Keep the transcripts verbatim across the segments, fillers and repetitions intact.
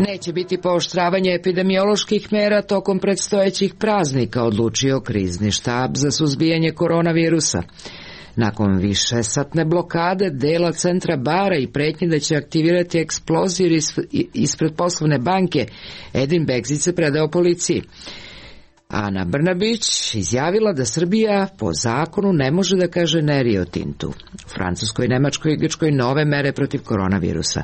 Neće biti pooštravanje epidemioloških mera tokom predstojećih praznika, odlučio krizni štab za suzbijanje koronavirusa. Nakon višesatne blokade dela centra bara i pretnje da će aktivirati eksploziju ispred poslovne banke, Edin Begzić se predao policiji. Ana Brnabić izjavila da Srbija po zakonu ne može da kaže ne Rio Tintu. U Francuskoj, Nemačkoj i Grčkoj nove mere protiv koronavirusa.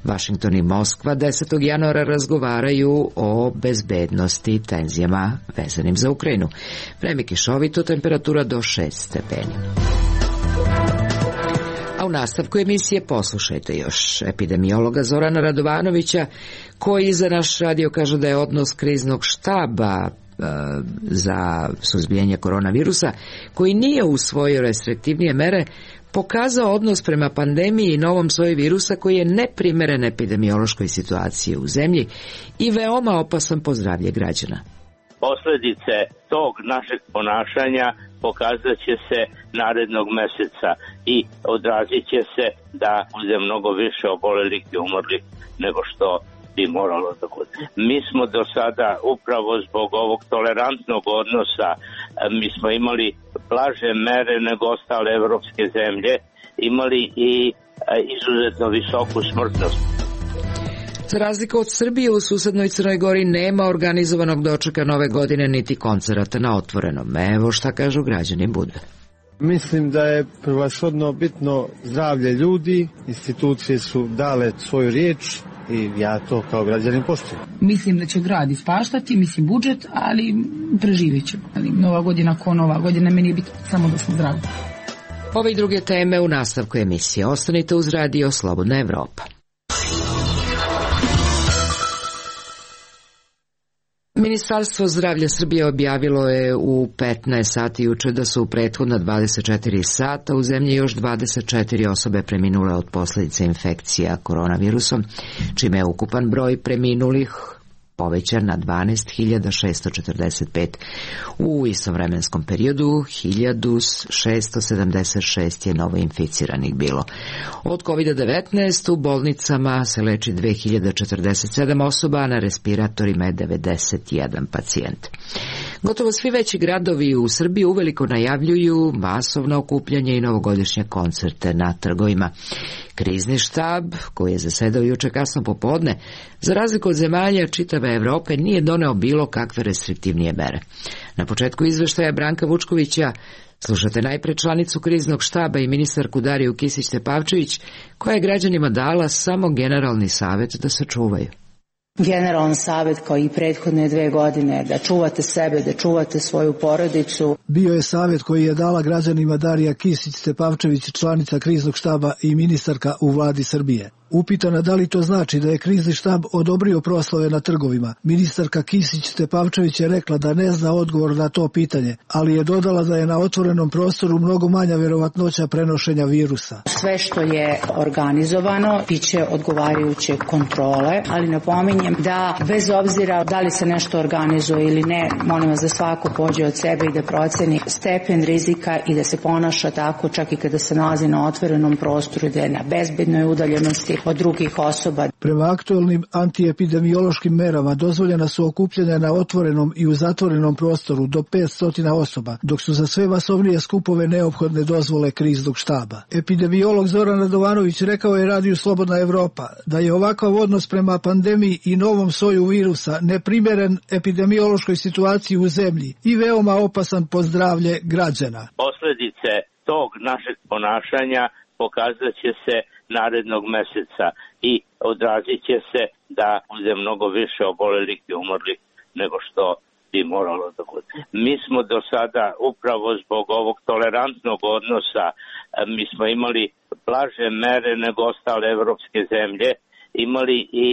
Vašington i Moskva desetog januara razgovaraju o bezbednosti i tenzijama vezanim za Ukrajinu. Vreme kišovito, temperatura do šest stepeni. A u nastavku emisije poslušajte još epidemiologa Zorana Radovanovića, koji za naš radio kaže da je odnos kriznog štaba za suzbijanje koronavirusa, koji nije usvojio restriktivnije mere, pokazao odnos prema pandemiji i novom soju virusa koji je neprimeren epidemiološkoj situaciji u zemlji i veoma opasan po zdravlje građana. Posledice tog našeg ponašanja pokazat će se narednog meseca i odrazit će se da bude mnogo više obolelih i umrlih nego što bi moralo da bude. Mi smo do sada upravo zbog ovog tolerantnog odnosa, mi smo imali blaže mere nego ostale evropske zemlje, imali i izuzetno visoku smrtnost. Za razliku od Srbije, u susednoj Crnoj Gori nema organizovanog dočeka nove godine niti koncerata na otvorenom. Evo šta kažu građani Budve. Mislim da je prevashodno bitno zdravlje ljudi, institucije su dale svoju riječ i ja to kao građanin poštujem. Mislim da će grad ispaštati, mislim budžet, ali preživjet ćemo. Ali nova godina ko nova godina, meni je bitno samo da smo zdravi. Ove i druge teme u nastavku emisije. Ostanite uz radio Slobodna Evropa. Ministarstvo zdravlja Srbije objavilo je u petnaest sati juče da su u prethodna dvadeset četiri sata u zemlji još dvadeset četiri osobe preminule od posljedice infekcija koronavirusom, čime je ukupan broj preminulih povećan na dvanaest hiljada šesto četrdeset pet. U istovremenskom periodu hiljadu šesto sedamdeset šest je novoinficiranih bilo. Od kovid devetnaest u bolnicama se leči dve hiljade četrdeset sedam osoba, a na respiratorima je devedeset jedan pacijent. Gotovo svi veći gradovi u Srbiji uveliko najavljuju masovno okupljanje i novogodišnje koncerte na trgovima. Krizni štab, koji je zasedao juče kasno popodne, za razliku od zemalja čitave Evrope, nije doneo bilo kakve restriktivnije mere. Na početku izveštaja Branka Vučkovića slušate najpre članicu kriznog štaba i ministarku Dariju Kisić-Tepavčević, koja je građanima dala samo generalni savjet da se čuvaju. Generalan savjet kao i prethodne dve godine da čuvate sebe, da čuvate svoju porodicu. Bio je savjet koji je dala građanima Darija Kisić-Tepavčević, članica kriznog štaba i ministarka u vladi Srbije. Upitana da li to znači da je krizni štab odobrio proslave na trgovima, ministarka Kisić-Tepavčević je rekla da ne zna odgovor na to pitanje, ali je dodala da je na otvorenom prostoru mnogo manja verovatnoća prenošenja virusa. Sve što je organizovano biće odgovarajuće kontrole, ali napominjem da bez obzira da li se nešto organizuje ili ne, molim vas da svako pođe od sebe i da proceni stepen rizika i da se ponaša tako čak i kada se nalazi na otvorenom prostoru, da je na bezbednoj udaljenosti od drugih osoba. Prema aktuelnim antiepidemiološkim merama dozvoljena su okupljanja na otvorenom i u zatvorenom prostoru do petsto osoba, dok su za sve masovnije skupove neophodne dozvole kriznog štaba. Epidemiolog Zoran Radovanović rekao je radiju Slobodna Evropa da je ovakav odnos prema pandemiji i novom soju virusa neprimeren epidemiološkoj situaciji u zemlji i veoma opasan po zdravlje građana. Posljedice tog našeg ponašanja pokazat će se narednog meseca i odrazit će se da bude mnogo više obolelih i umrlih nego što bi moralo da bude. Mi smo do sada upravo zbog ovog tolerantnog odnosa, mi smo imali blaže mere nego ostale evropske zemlje, imali i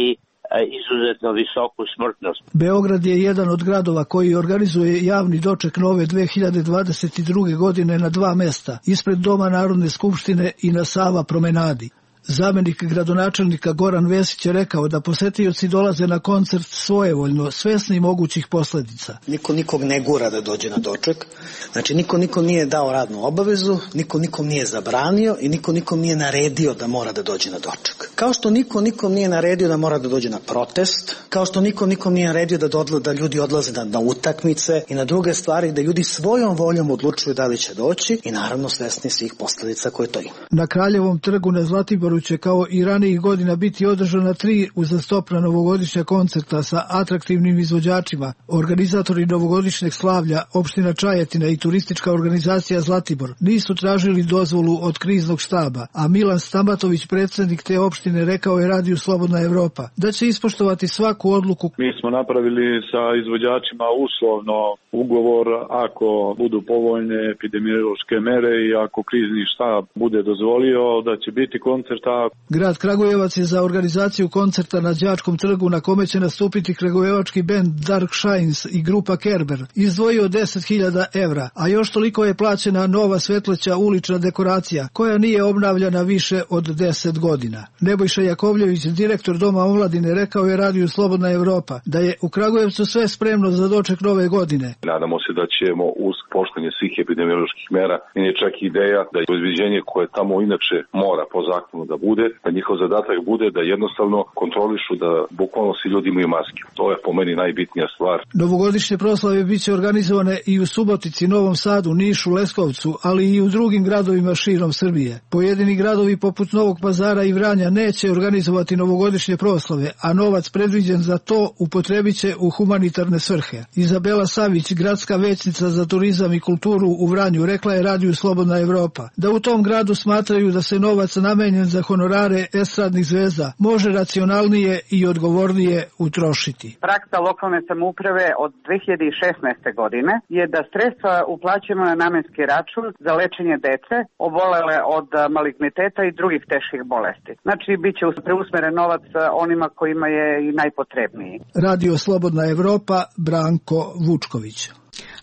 izuzetno visoku smrtnost. Beograd je jedan od gradova koji organizuje javni doček nove dve hiljade dvadeset druge. godine na dva mesta, ispred Doma Narodne skupštine i na Sava promenadi. Zamenik gradonačelnika Goran Vesić je rekao da posetioci dolaze na koncert svojevoljno, svesni mogućih posljedica. Niko nikog ne gura da dođe na doček, znači niko nikom nije dao radnu obavezu, niko nikom nije zabranio i niko nikom nije naredio da mora da dođe na doček. Kao što niko nikom nije naredio da mora da dođe na protest, kao što niko nikom nije naredio da, dodla, da ljudi odlaze na, na utakmice i na druge stvari, da ljudi svojom voljom odlučuju da li će doći i naravno svesni svih posljedica koje to ima. Na Kraljevom trgu na Zlatiboru će kao i ranijih godina biti održana tri uzastopna novogodišnja koncerta sa atraktivnim izvođačima. Organizatori novogodišnjeg slavlja, opština Čajetina i turistička organizacija Zlatibor nisu tražili dozvolu od kriznog štaba, a Milan Stamatović, predsjednik te opštine, rekao je Radiju Slobodna Evropa da će ispoštovati svaku odluku. Mi smo napravili sa izvođačima uslovno ugovor ako budu povoljne epidemiološke mere i ako krizni štab bude dozvolio da će biti koncerta. Grad Kragujevac je za organizaciju koncerta na Đačkom trgu, na kome će nastupiti kragujevački bend Dark Shines i grupa Kerber, izdvojio deset hiljada evra, a još toliko je plaćena nova svetleća ulična dekoracija koja nije obnavljana više od deset godina. Nebojša Jakovljević, direktor Doma omladine, rekao je Radiju Slobodna Evropa da je u Kragujevcu sve spremno za doček nove godine. Nadamo se da ćemo uz poštovanje svih epidemioloških mera, i je čak ideja da je izviđenje koje tamo inače mora po zakonu da bude, da njihov zadatak bude da jednostavno kontrolišu da bukvalno svi ljudi imaju maske. To je po meni najbitnija stvar. Novogodišnje proslave biće organizovane i u Subotici, Novom Sadu, Nišu, Leskovcu, ali i u drugim gradovima širom Srbije. Pojedini gradovi poput Novog Pazara i Vranja neće organizovati novogodišnje proslave, a novac predviđen za to upotrebit će u humanitarne svrhe. Izabela Savić, gradska većnica za turizam i kulturu u Vranju, rekla je Radiju Slobodna Evropa da u tom gradu smatraju da se novac namenjen za honorare estradnih zvezda može racionalnije i odgovornije utrošiti. Praksa lokalne samouprave od dve hiljade šesnaeste. godine je da sredstva uplaćujemo na namenski račun za lečenje dece obolele od maligniteta i drugih teških bolesti. Znači, bit će preusmeren novac onima kojima je i najpotrebniji. Radio Slobodna Evropa, Branko Vučković.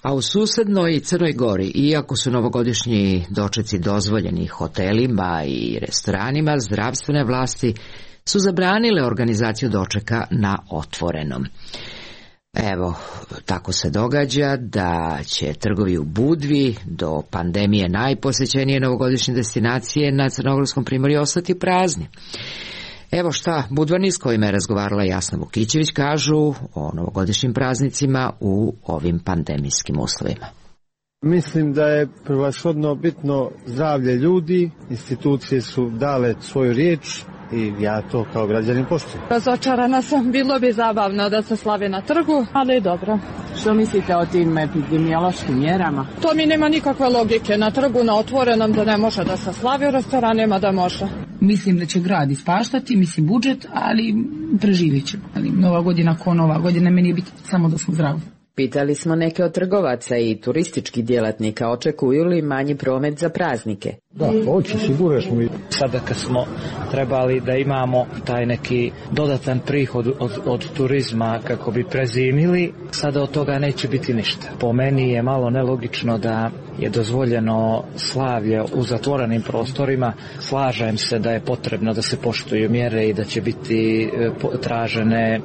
A u susednoj Crnoj Gori, iako su novogodišnji dočeci dozvoljeni hotelima i restoranima, zdravstvene vlasti su zabranile organizaciju dočeka na otvorenom. Evo, tako se događa da će trgovi u Budvi, do pandemije najposećenije novogodišnje destinacije na Crnogorskom primorju, ostati prazni. Evo šta budvani s kojima je razgovarala Jasna Vukićević kažu o novogodišnjim praznicima u ovim pandemijskim uslovima. Mislim da je prevashodno bitno zdravlje ljudi, institucije su dale svoju riječ i ja to kao građanin poštujem. Razočarana sam, bilo bi zabavno da se slavi na trgu, ali dobro. Što mislite o tim epidemiološkim mjerama? To mi nema nikakve logike. Na trgu, na otvorenom da ne može da se slavi, u restoranima da može. Mislim da će grad ispaštati, mislim budžet, ali preživjet će. Ali nova godina ko nova godina, meni je biti samo da smo zdravi. Pitali smo neke od trgovaca i turističkih djelatnika, očekuju li manji promet za praznike. Da, hoće, sigurno smo mi. Sada kad smo trebali da imamo taj neki dodatan prihod od, od turizma kako bi prezimili, sada od toga neće biti ništa. Po meni je malo nelogično da je dozvoljeno slavlje u zatvorenim prostorima. Slažem se da je potrebno da se poštuju mjere i da će biti tražene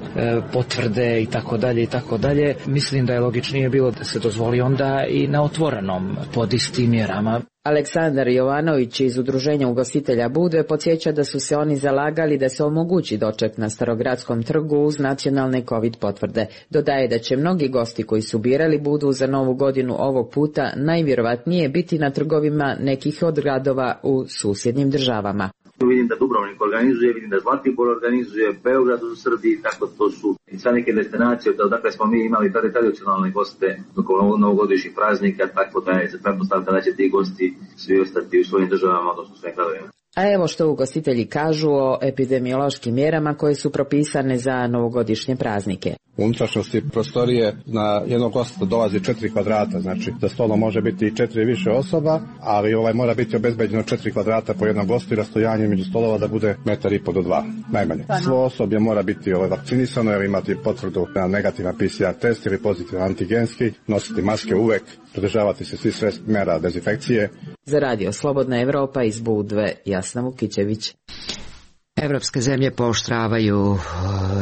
potvrde i tako dalje i tako dalje. Mislim da je logičnije bilo da se dozvoli onda i na otvorenom pod istim mjerama. Aleksandar Jovanović iz Udruženja ugostitelja Budve podsjeća da su se oni zalagali da se omogući doček na Starogradskom trgu uz nacionalne COVID potvrde. Dodaje da će mnogi gosti koji su birali Budvu za novu godinu ovog puta najvjerovatnije biti na trgovima nekih od gradova u susjednim državama. Vidim da Dubrovnik organizuje, vidim da Zlatibor organizuje, Beograd u Srbiji, tako to su i sve neke destinacije, dakle smo mi imali tradicionalne goste oko novogodišnjih praznika, tako da je se pretpostavka da će ti gosti svi ostati u svojim državama, odnosno svojim gradovima. A evo što ugostitelji kažu o epidemiološkim mjerama koje su propisane za novogodišnje praznike. U unutrašnjosti prostorije na jednog gosta dolazi četiri kvadrata, znači za stolom može biti i četiri više osoba, ali ovaj mora biti obezbeđeno četiri kvadrata po jednom gostu i rastojanje među stolova da bude metar i po do dva, najmanje. Svo osoblje mora biti ovaj vakcinisano jer imati potvrdu na negativan P C R test ili pozitivan antigenski, nositi maske uvek, pridržavati se svih sve mjera dezinfekcije. Za Radio Slobodna Evropa iz Budve, Jasna Vukićević. Evropske zemlje pooštravaju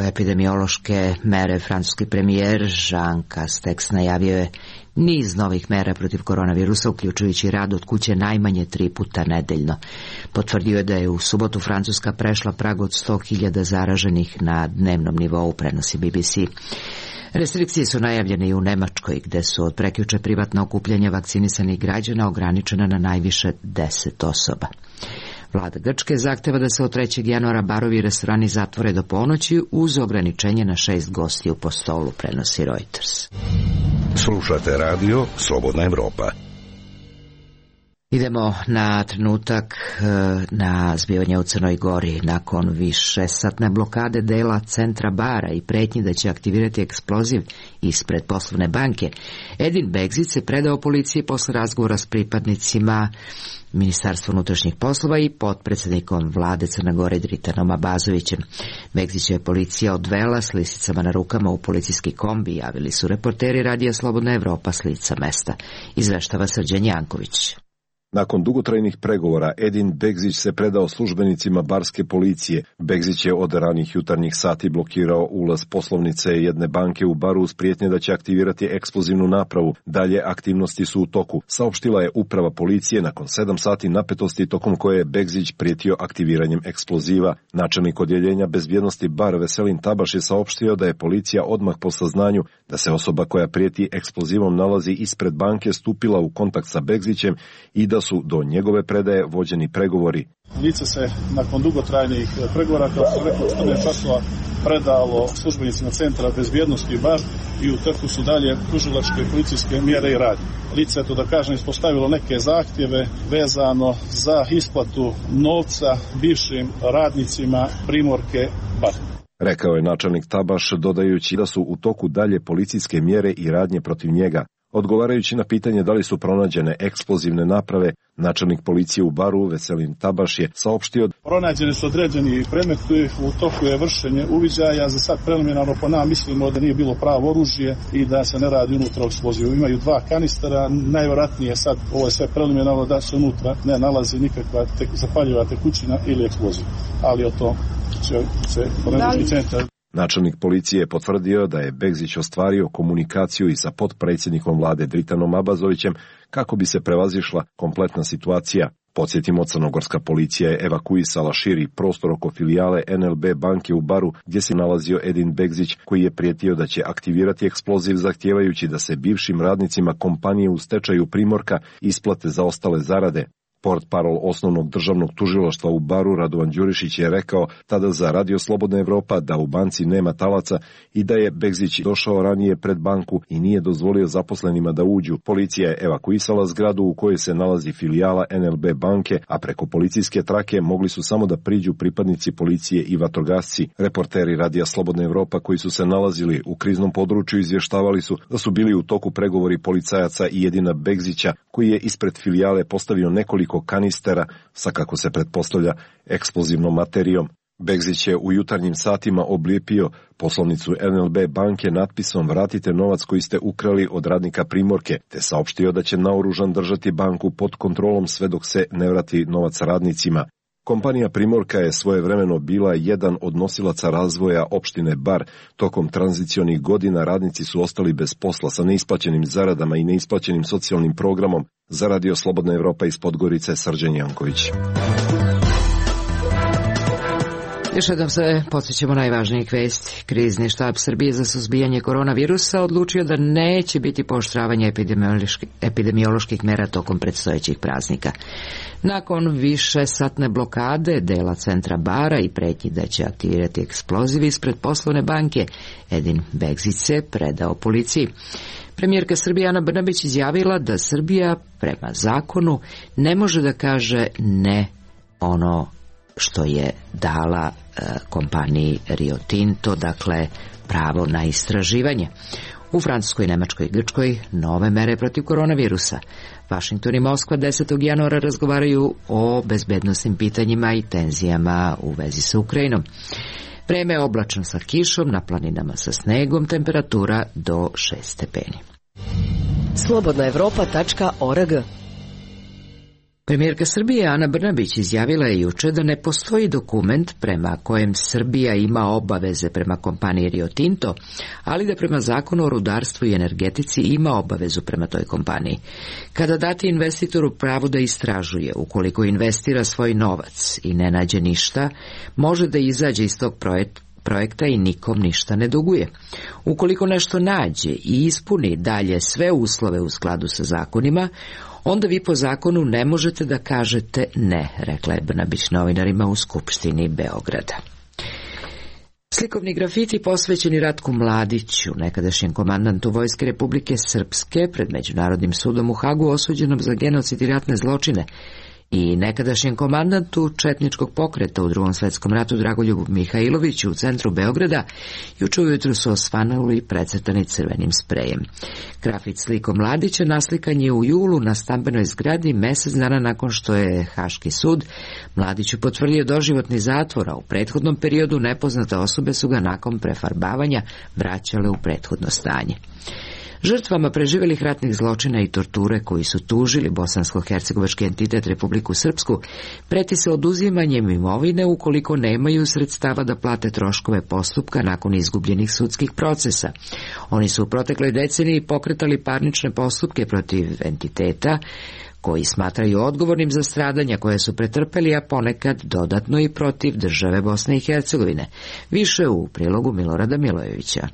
epidemiološke mere. Francuski premijer Jean Castex najavio je niz novih mera protiv koronavirusa, uključujući rad od kuće najmanje tri puta nedeljno. Potvrdio je da je u subotu Francuska prešla prag od sto hiljada zaraženih na dnevnom nivou, prenosi B B C. Restrikcije su najavljene i u Nemačkoj, gde su od prekjuče privatna okupljanja vakcinisanih građana ograničena na najviše deset osoba. Vlada Grčke zahteva da se od trećeg januara barovi i restorani zatvore do ponoći uz ograničenje na šest gostiju po stolu, prenosi Reuters. Slušate radio Slobodna Evropa. Idemo na trenutak na zbivanje u Crnoj Gori. Nakon višesatne blokade dela centra bara i pretnji da će aktivirati eksploziv ispred poslovne banke, Edin Begzić se predao policiji posle razgovora s pripadnicima Ministarstva unutrašnjih poslova i potpredsjednikom vlade Crne Gore Dritanom Abazovićem. Begzića je policija odvela s lisicama na rukama u policijski kombi, javili su reporteri radija Slobodna Evropa s lica mesta. Izveštava Srđan Janković. Nakon dugotrajnih pregovora, Edin Begzić se predao službenicima barske policije. Begzić je od ranih jutarnjih sati blokirao ulaz poslovnice jedne banke u baru uz prijetnje da će aktivirati eksplozivnu napravu. Dalje aktivnosti su u toku, saopštila je uprava policije nakon sedam sati napetosti tokom koje je Begzić prijetio aktiviranjem eksploziva. Načelnik odjeljenja bezbjednosti bar Veselin Tabaš je saopštio da je policija odmah po saznanju da se osoba koja prijeti eksplozivom nalazi ispred banke stupila u kontakt sa Begzićem i da su do njegove predaje vođeni pregovori. Lice se nakon dugotrajnih pregovora, kao što rekao, četrnaest časova predalo službenicima centra bezbjednosti bar i u trku su dalje tužilačke i policijske mjere i radnje. Lice, to da kažem, ispostavilo neke zahtjeve vezano za isplatu novca bivšim radnicima Primorke bar. Rekao je načelnik Tabaš, dodajući da su u toku dalje policijske mjere i radnje protiv njega. Odgovarajući na pitanje da li su pronađene eksplozivne naprave, načelnik policije u baru Veselin Tabaš je saopštio: pronađeni su određeni predmeti, u toku je vršenje uviđaja, za sad preliminarno po nama mislimo da nije bilo pravo oružje i da se ne radi unutra eksplozivu. Imaju dva kanistera, najvjerojatnije sad, ovo je sve preliminarno, da se unutra ne nalazi nikakva tek, zapaljiva tekućina ili eksploziv. Ali o to će se forenzički centar. Načelnik policije je potvrdio da je Begzić ostvario komunikaciju i sa potpredsjednikom vlade Dritanom Abazovićem kako bi se prevazišla kompletna situacija. Podsjetimo, crnogorska policija je evakuisala širi prostor oko filijale N L B banke u baru gdje se nalazio Edin Begzić, koji je prijetio da će aktivirati eksploziv zahtijevajući da se bivšim radnicima kompanije u stečaju Primorka isplate zaostale zarade. Portparol osnovnog državnog tužilaštva u baru Radovan Đurišić je rekao tada za Radio Slobodna Evropa da u banci nema talaca i da je Begzić došao ranije pred banku i nije dozvolio zaposlenima da uđu. Policija je evakuisala zgradu u kojoj se nalazi filijala N L B banke, a preko policijske trake mogli su samo da priđu pripadnici policije i vatrogasci. Reporteri Radija Slobodna Evropa koji su se nalazili u kriznom području izvještavali su da su bili u toku pregovori policajaca i Edina Begzića, koji je ispred filijale postavio nekoliko kanistera sa, kako se pretpostavlja, eksplozivnom materijom. Begzić je u jutarnjim satima oblijepio poslovnicu N L B banke natpisom "Vratite novac koji ste ukrali od radnika Primorke", te saopštio da će naoružan držati banku pod kontrolom sve dok se ne vrati novac radnicima. Kompanija Primorka je svojevremeno bila jedan od nosilaca razvoja opštine Bar. Tokom tranzicionih godina radnici su ostali bez posla sa neisplaćenim zaradama i neisplaćenim socijalnim programom. Za Radio Slobodna Evropa iz Podgorice, Srđan Janković. Još jednom se podsjećamo najvažnijih vesti. Krizni štab Srbije za suzbijanje koronavirusa odlučio da neće biti pooštravanja epidemioloških, epidemioloških mera tokom predstojećih praznika. Nakon višesatne blokade dela centra bara i pretnji da će aktivirati eksploziv ispred poslovne banke, Edin Begzić se predao policiji. Premijerka Srbije Ana Brnabić izjavila da Srbija prema zakonu ne može da kaže ne ono što je dala e, kompaniji Rio Tinto, dakle pravo na istraživanje. U Francuskoj, Nemačkoj i Grčkoj nove mere protiv koronavirusa. Vašington i Moskva desetog januara razgovaraju o bezbednosnim pitanjima i tenzijama u vezi sa Ukrajinom. Vreme je oblačno sa kišom, na planinama sa snegom, temperatura do šest stepeni. slobodna evropa tačka org Premijerka Srbije Ana Brnabić izjavila je juče da ne postoji dokument prema kojem Srbija ima obaveze prema kompaniji Rio Tinto, ali da prema zakonu o rudarstvu i energetici ima obavezu prema toj kompaniji. Kada date investitoru pravo da istražuje, ukoliko investira svoj novac i ne nađe ništa, može da izađe iz tog projekta projekta i nikom ništa ne duguje. Ukoliko nešto nađe i ispuni dalje sve uslove u skladu sa zakonima, onda vi po zakonu ne možete da kažete ne, rekla je Brnabić novinarima u Skupštini Beograda. Slikovni grafiti posvećeni Ratku Mladiću, nekadašnjem komandantu Vojske Republike Srpske, pred Međunarodnim sudom u Hagu osuđenom za genocid i ratne zločine, i nekadašnjem komandantu četničkog pokreta u Drugom svetskom ratu Dragoljubu Mihajloviću u centru Beograda, juče ujutru su osvanuli i precrtani crvenim sprejem. Grafit slikom Mladića naslikan je u julu na stambenoj zgradi mesec dana nakon što je Haški sud Mladiću potvrdio doživotni zatvor, a u prethodnom periodu nepoznate osobe su ga nakon prefarbavanja vraćale u prethodno stanje. Žrtvama preživelih ratnih zločina i torture koji su tužili bosansko-hercegovački entitet Republiku Srpsku preti se oduzimanjem imovine ukoliko nemaju sredstava da plate troškove postupka nakon izgubljenih sudskih procesa. Oni su u protekloj deceniji pokretali parnične postupke protiv entiteta koji smatraju odgovornim za stradanja koje su pretrpeli, a ponekad dodatno i protiv države Bosne i Hercegovine. Više u prilogu Milorada Milojevića.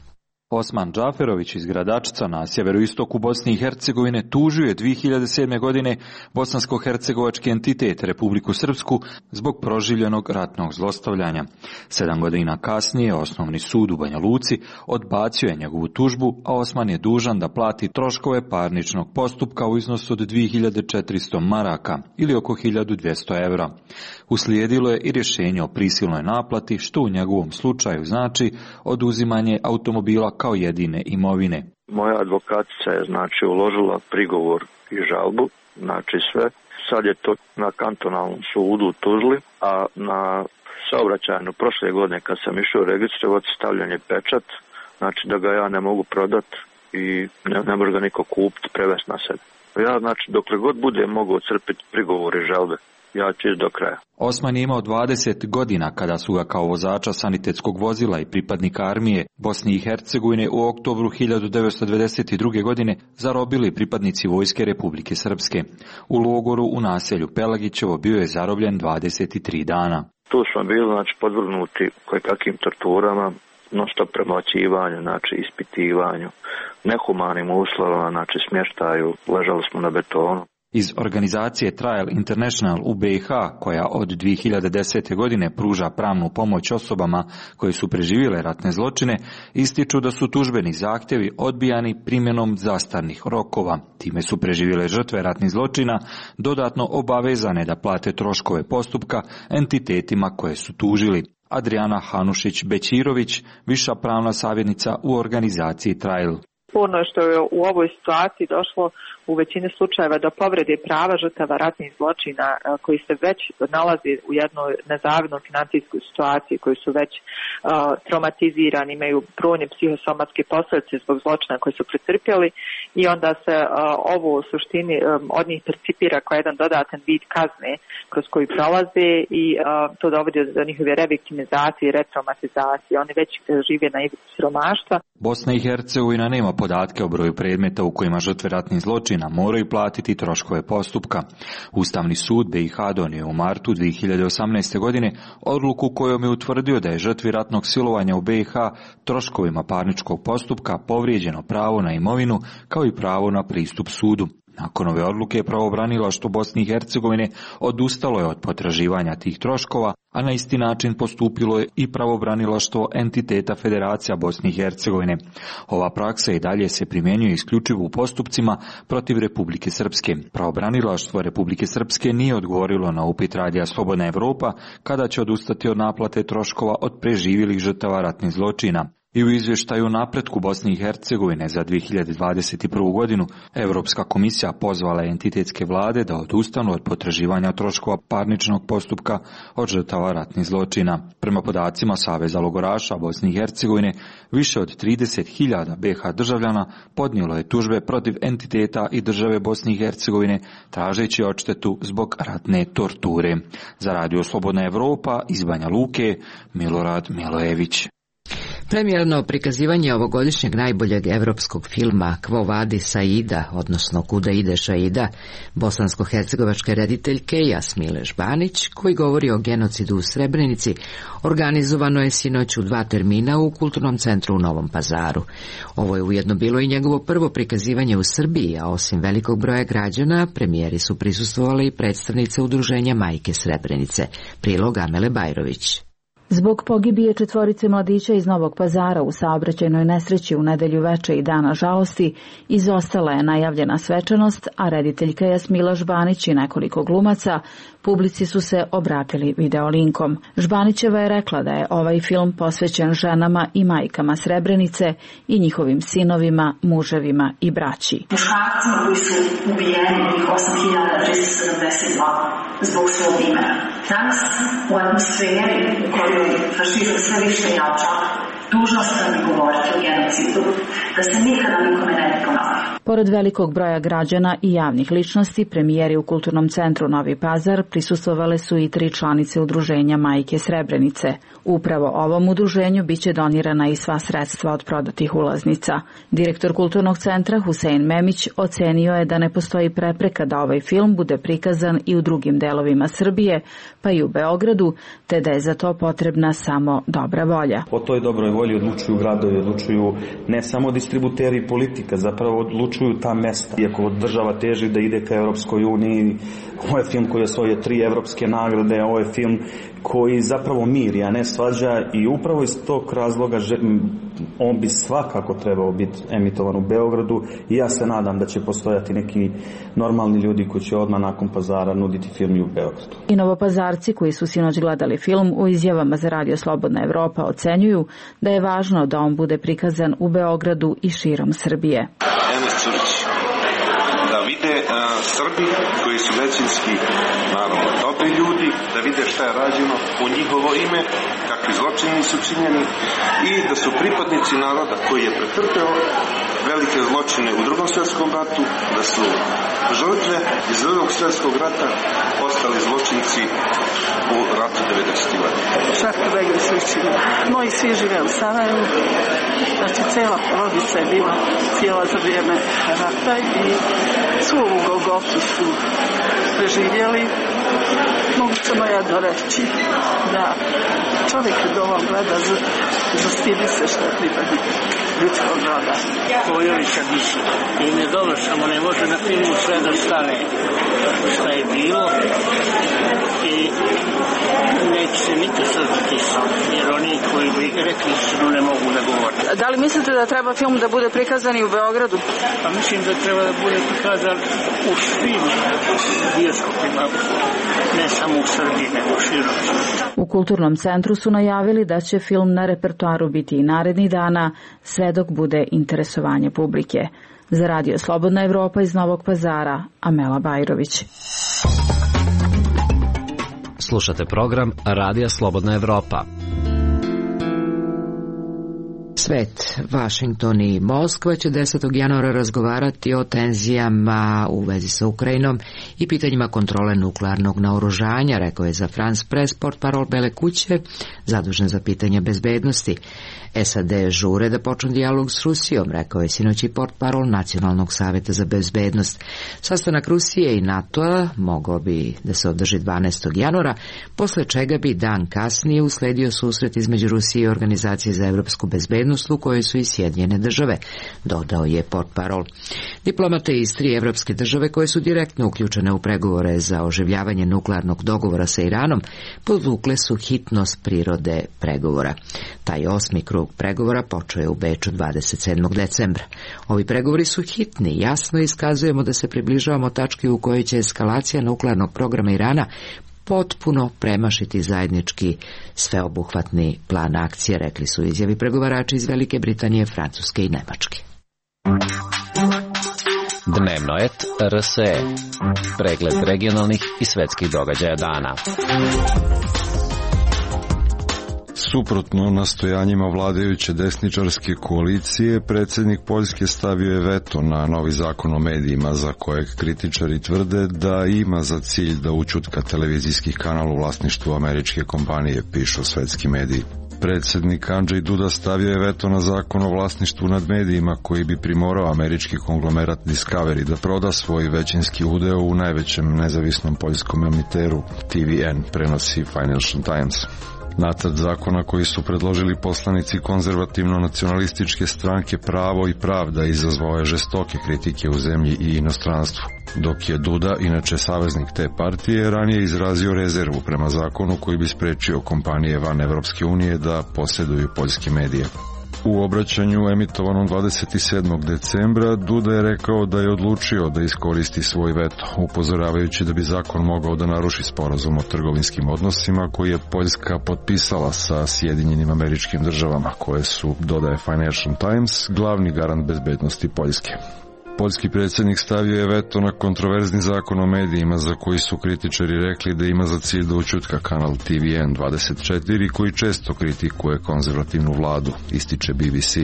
Osman Džaferović iz Gradačca na sjeveroistoku Bosne i Hercegovine tužio je dvije hiljade sedme. godine bosansko-hercegovački entitet Republiku Srpsku zbog proživljenog ratnog zlostavljanja. Sedam godina kasnije Osnovni sud u Banja Luci odbacio je njegovu tužbu, a Osman je dužan da plati troškove parničnog postupka u iznosu od dvije hiljade četiristo maraka ili oko hiljadu dvjesto evra. Uslijedilo je i rješenje o prisilnoj naplati, što u njegovom slučaju znači oduzimanje automobila kao jedine imovine. Moja advokatica je znači uložila prigovor i žalbu, znači sve. Sad je to na kantonalnom sudu u Tuzli, a na saobraćajnu prošle godine kad sam išao registrovati stavljen je pečat, znači da ga ja ne mogu prodat i ne, ne može ga niko kupiti, prevesti na sebe. Ja znači dokle god bude mogao crpiti prigovor i žalbe, ja ću do kraja. Osman je imao dvadeset godina kada su ga kao vozača sanitetskog vozila i pripadnika armije Bosne i Hercegovine u oktobru hiljadu devetsto devedeset druge. godine zarobili pripadnici Vojske Republike Srpske. U logoru u naselju Pelagićevo bio je zarobljen dvadeset tri dana. Tu smo bili znači podvrgnuti kojekakvim torturama, non-stop premlaćivanju, znači ispitivanju, nehumanim uslovima, znači smještaju, ležali smo na betonu. Iz organizacije Trial International u B i H, koja od dvije hiljade desete. godine pruža pravnu pomoć osobama koje su preživjele ratne zločine, ističu da su tužbeni zahtjevi odbijani primjenom zastarnih rokova. Time su preživjele žrtve ratnih zločina dodatno obavezane da plate troškove postupka entitetima koje su tužili. Adriana Hanušić-Bećirović, viša pravna savjetnica u organizaciji Trial. Sporno je što je u ovoj situaciji došlo u većini slučajeva do povrede prava žrtava ratnih zločina koji se već nalazi u jednoj nezavidnoj financijskoj situaciji, koji su već uh, traumatizirani, imaju brojne psihosomatske posljedice zbog zločina koje su pretrpjeli i onda se uh, ovo u suštini um, od njih percipira kao jedan dodatan vid kazne kroz koji prolaze i uh, to dovodi do njihove reviktimizacije i retraumatizacije. Oni već žive na ivici siromaštva. Bosna i Hercegovina nema podatke o broju predmeta u kojima žrtve ratnih zločina moraju platiti troškove postupka. Ustavni sud B i H donio u martu dvije hiljade osamnaeste. godine odluku kojom je utvrdio da je žrtvi ratnog silovanja u B i H troškovima parničkog postupka povrijeđeno pravo na imovinu kao i pravo na pristup sudu. Nakon ove odluke pravobranilaštvo Bosne i Hercegovine odustalo je od potraživanja tih troškova, a na isti način postupilo je i pravobranilaštvo entiteta Federacija Bosne i Hercegovine. Ova praksa i dalje se primjenjuje isključivo u postupcima protiv Republike Srpske. Pravobranilaštvo Republike Srpske nije odgovorilo na upit radija Slobodna Evropa kada će odustati od naplate troškova od preživjelih žrtava ratnih zločina. I u izvještaju o napretku Bosne i Hercegovine za dvije hiljade dvadeset prvu. godinu, Europska komisija pozvala entitetske vlade da odustanu od potraživanja troškova parničnog postupka od žrtava ratnih zločina. Prema podacima Saveza logoraša Bosne i Hercegovine, više od trideset hiljada be ha državljana podnijelo je tužbe protiv entiteta i države Bosne i Hercegovine, tražeći odštetu zbog ratne torture. Za Radio Slobodna Evropa iz Banja Luke, Milorad Milojević. Premijerno prikazivanje ovogodišnjeg najboljeg evropskog filma Quo Vadis Aida, odnosno Kuda ideš Aida, bosansko-hercegovačke rediteljke Jasmile Žbanić, koji govori o genocidu u Srebrenici, organizovano je sinoć u dva termina u Kulturnom centru u Novom Pazaru. Ovo je ujedno bilo i njegovo prvo prikazivanje u Srbiji, a osim velikog broja građana, premijeri su prisustvovali i predstavnice udruženja Majke Srebrenice. Prilog Amele Bajrović. Zbog pogibije četvorice mladića iz Novog Pazara u saobraćajnoj nesreći u nedelju veče i dana žalosti izostala je najavljena svečanost, a rediteljka Jasmila Žbanić i nekoliko glumaca publici su se obratili videolinkom. Žbanićeva je rekla da je ovaj film posvećen ženama i majkama Srebrenice i njihovim sinovima, muževima i braći. Muškarcima koji su ubijeni njih osam hiljada tristo sedamdeset dva zbog svog imena. Danas u atmosferi u kojoj fašizam sve više jača, dužna sam govoriti o genocidu, da se nikada nikome ne bi ponovio. Pored velikog broja građana i javnih ličnosti, premijeri u Kulturnom centru Novi Pazar prisustvovale su i tri članice udruženja Majke Srebrenice. Upravo ovom udruženju biće donirana i sva sredstva od prodatih ulaznica. Direktor Kulturnog centra Husein Memić ocenio je da ne postoji prepreka da ovaj film bude prikazan i u drugim delovima Srbije, pa i u Beogradu, te da je za to potrebna samo dobra volja. O toj dobroj volji odlučuju gradovi, odlučuju ne samo distributeri i politika, zapravo odlučuju ta mesta. Iako država teži da ide ka Europskoj uniji, ovo je film koji je osvojio tri evropske nagrade, ovo je film koji zapravo miri, a ne svađa, i upravo iz tog razloga on bi svakako trebao biti emitovan u Beogradu i ja se nadam da će postojati neki normalni ljudi koji će odmah nakon Pazara nuditi film i u Beogradu. I Novopazarci koji su sinoć gledali film u izjavama za Radio Slobodna Evropa ocenjuju da je važno da on bude prikazan u Beogradu i širom Srbije. Da vide uh, Srbi koji su većinski naravno dobri ljudi, da vide šta je rađeno u njihovo ime, kakvi zločini su činjeni i da su pripadnici naroda koji je pretrpeo velike zločine u drugom svjetskom ratu, da su žrtve iz drugog svjetskog rata ostali zločinci u ratu devedesetih godina. Šarka Begri sličina. Moji svi žive u Sarajevu, znači cela porodica je bila cijela za vrijeme rata i svu ovu Golgotu su preživjeli. Mogu samo ja doreći da čovjek kad ovo gleda zastidi se što je pripadnik ljudskog roda. Kojovića biće. I ne dobro, samo ne može na filmu sve da stane šta je bilo i neće se nikad saznati sam, jer oni koji bi rekli istinu ne mogu da govore. Da li mislite da treba film da bude prikazan i u Beogradu? Pa mislim da treba da bude prikazan u svim bioskopima, ne samo u Srbiji, nego širom. U Kulturnom centru su najavili da će film na repertoaru biti i narednih dana, sve dok bude interesovanje publike. Za Radio Slobodna Evropa iz Novog Pazara, Amela Bajrović. Slušate program Radija Slobodna Evropa. Svet, Vašington i Moskva će desetog januara razgovarati o tenzijama u vezi sa Ukrajinom i pitanjima kontrole nuklearnog naoružanja, rekao je za France Press portparol Bele kuće, zadužen za pitanja bezbednosti. S A D žure da počne dijalog s Rusijom, rekao je sinoć i portparol Nacionalnog savjeta za bezbednost. Sastanak Rusije i NATO-a mogao bi da se održi dvanaestog januara, posle čega bi dan kasnije usledio susret između Rusije i Organizacije za evropsku bezbednost u kojoj su i Sjedinjene države, dodao je portparol. Diplomate iz tri evropske države koje su direktno uključene u pregovore za oživljavanje nuklearnog dogovora sa Iranom podvukle su hitnost prirode pregovora. Taj osmi krug pregovora počeo je u Beču dvadeset sedmog decembra. Ovi pregovori su hitni, jasno iskazujemo da se približavamo tački u kojoj će eskalacija nuklearnog programa Irana potpuno premašiti zajednički sveobuhvatni plan akcije, rekli su izjavi pregovarači iz Velike Britanije, Francuske i Nemačke. Dnevno et R S E. Pregled regionalnih i svetskih događaja dana. Suprotno nastojanjima vladajuće desničarske koalicije, predsjednik Poljske stavio je veto na novi zakon o medijima, za kojeg kritičari tvrde da ima za cilj da ućutka televizijskih kanala u vlasništvu američke kompanije, pišu svetski mediji. Predsjednik Andrzej Duda stavio je veto na zakon o vlasništvu nad medijima koji bi primorao američki konglomerat Discovery da proda svoj većinski udeo u najvećem nezavisnom poljskom emiteru T V N, prenosi Financial Times. Nacrt zakona koji su predložili poslanici konzervativno-nacionalističke stranke Pravo i pravda izazvao je žestoke kritike u zemlji i inostranstvu, dok je Duda, inače saveznik te partije, ranije izrazio rezervu prema zakonu koji bi sprečio kompanije van Evropske unije da posjeduju poljske medije. U obraćanju emitovanom dvadeset sedmog decembra Duda je rekao da je odlučio da iskoristi svoj veto, upozoravajući da bi zakon mogao da naruši sporazum o trgovinskim odnosima koji je Poljska potpisala sa Sjedinjenim Američkim Državama, koje su, dodaje Financial Times, glavni garant bezbednosti Poljske. Poljski predsjednik stavio je veto na kontroverzni zakon o medijima za koji su kritičari rekli da ima za cilj da ućutka kanal T V N dvadeset četiri koji često kritikuje konzervativnu vladu, ističe B B C.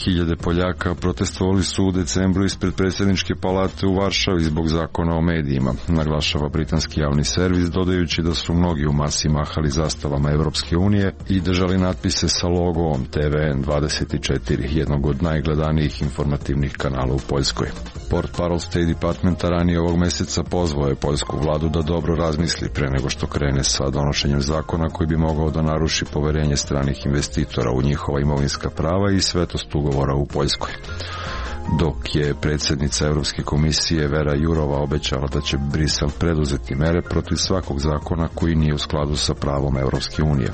Hiljade Poljaka protestovali su u decembru ispred predsjedničke palate u Varšavi zbog zakona o medijima, naglašava britanski javni servis, dodajući da su mnogi u masi mahali zastavama Evropske unije i držali natpise sa logom T V N dvadeset četiri, jednog od najgledanijih informativnih kanala u Poljskoj. Portparol State Departmenta ranije ovog mjeseca pozvao je poljsku vladu da dobro razmisli pre nego što krene sa donošenjem zakona koji bi mogao da naruši poverenje stranih investitora u njihova imovinska prava i svetost ugovora u Poljskoj. Dok je predsjednica Europske komisije Vera Jourova obećala da će Brisel preduzeti mere protiv svakog zakona koji nije u skladu sa pravom Europske unije.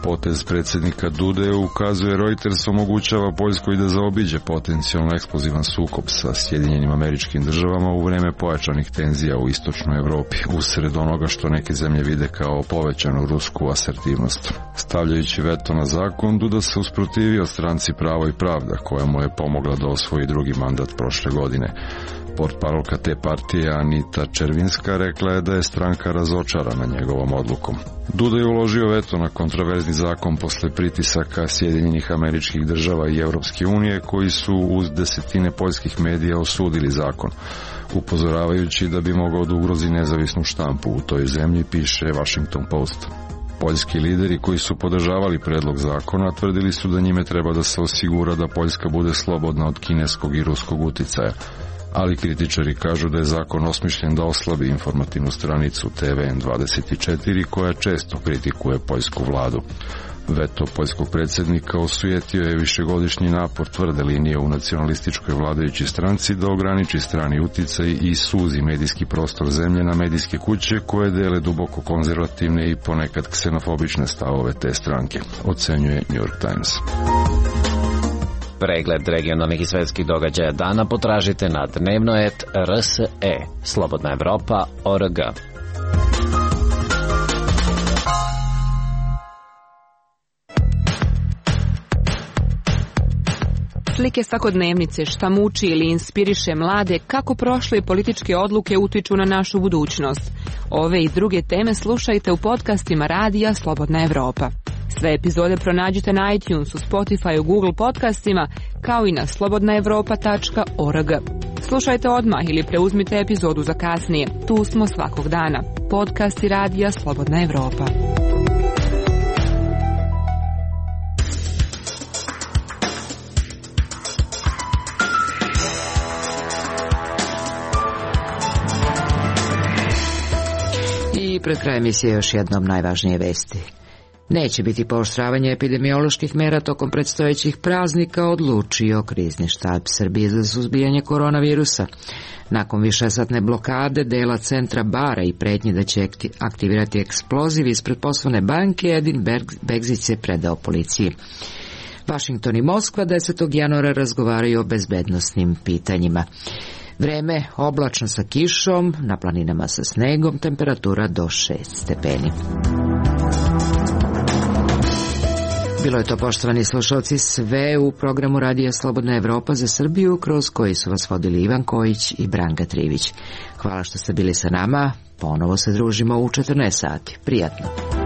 Potez predsjednika Dude, ukazuje Reuters, omogućava Poljskoj da zaobiđe potencijalno eksplozivan sukob sa Sjedinjenim Američkim Državama u vreme pojačanih tenzija u istočnoj Evropi, usred onoga što neke zemlje vide kao povećanu rusku asertivnost. Stavljajući veto na zakon, Duda se usprotivio stranci Pravo i pravda, koja mu je pomogla da osvoji drugi mandat prošle godine. Portparolka te partije Anita Červinska rekla je da je stranka razočarana njegovom odlukom. Duda je uložio veto na kontroverzni zakon posle pritisaka Sjedinjenih Američkih Država i Europske unije koji su uz desetine poljskih medija osudili zakon, upozoravajući da bi mogao da ugrozi nezavisnu štampu u toj zemlji, piše Washington Post. Poljski lideri koji su podržavali predlog zakona tvrdili su da njime treba da se osigura da Poljska bude slobodna od kineskog i ruskog uticaja, ali kritičari kažu da je zakon osmišljen da oslabi informativnu stranicu T V N dvadeset četiri koja često kritikuje poljsku vladu. Veto poljskog predsjednika osujetio je višegodišnji napor tvrde linije u nacionalističkoj vladajućoj stranci da ograniči strani uticaj i suzi medijski prostor zemlje na medijske kuće koje dele duboko konzervativne i ponekad ksenofobične stavove te stranke, ocenjuje New York Times. Pregled regionalnih i svetskih događaja dana potražite na dnevno et R S E, Slobodna Evropa, O R G. Slike svakodnevnice, šta muči ili inspiriše mlade, kako prošle političke odluke utiču na našu budućnost. Ove i druge teme slušajte u podcastima radija Slobodna Evropa. Sve epizode pronađite na iTunesu, Spotifyu, Google podcastima, kao i na slobodna evropa tačka org. Slušajte odmah ili preuzmite epizodu za kasnije. Tu smo svakog dana. Podcasti radija Slobodna Evropa. I pred krajem emisije još jednom najvažnije vesti. Neće biti pooštravanje epidemioloških mera tokom predstojećih praznika, odlučio Krizni štab Srbije za suzbijanje koronavirusa. Nakon višesatne blokade dela centra Bara i pretnje da će aktivirati eksploziv ispred poslovne banke, Edin Begzić se predao policiji. Vašington i Moskva desetog januara razgovaraju o bezbednosnim pitanjima. Vreme oblačno sa kišom, na planinama sa snegom, temperatura do šest stepeni. Bilo je to, poštovani slušalci, sve u programu Radija Slobodna Evropa za Srbiju, kroz koji su vas vodili Ivan Kojić i Branka Trivić. Hvala što ste bili sa nama, ponovo se družimo u četrnaest sati. Prijatno.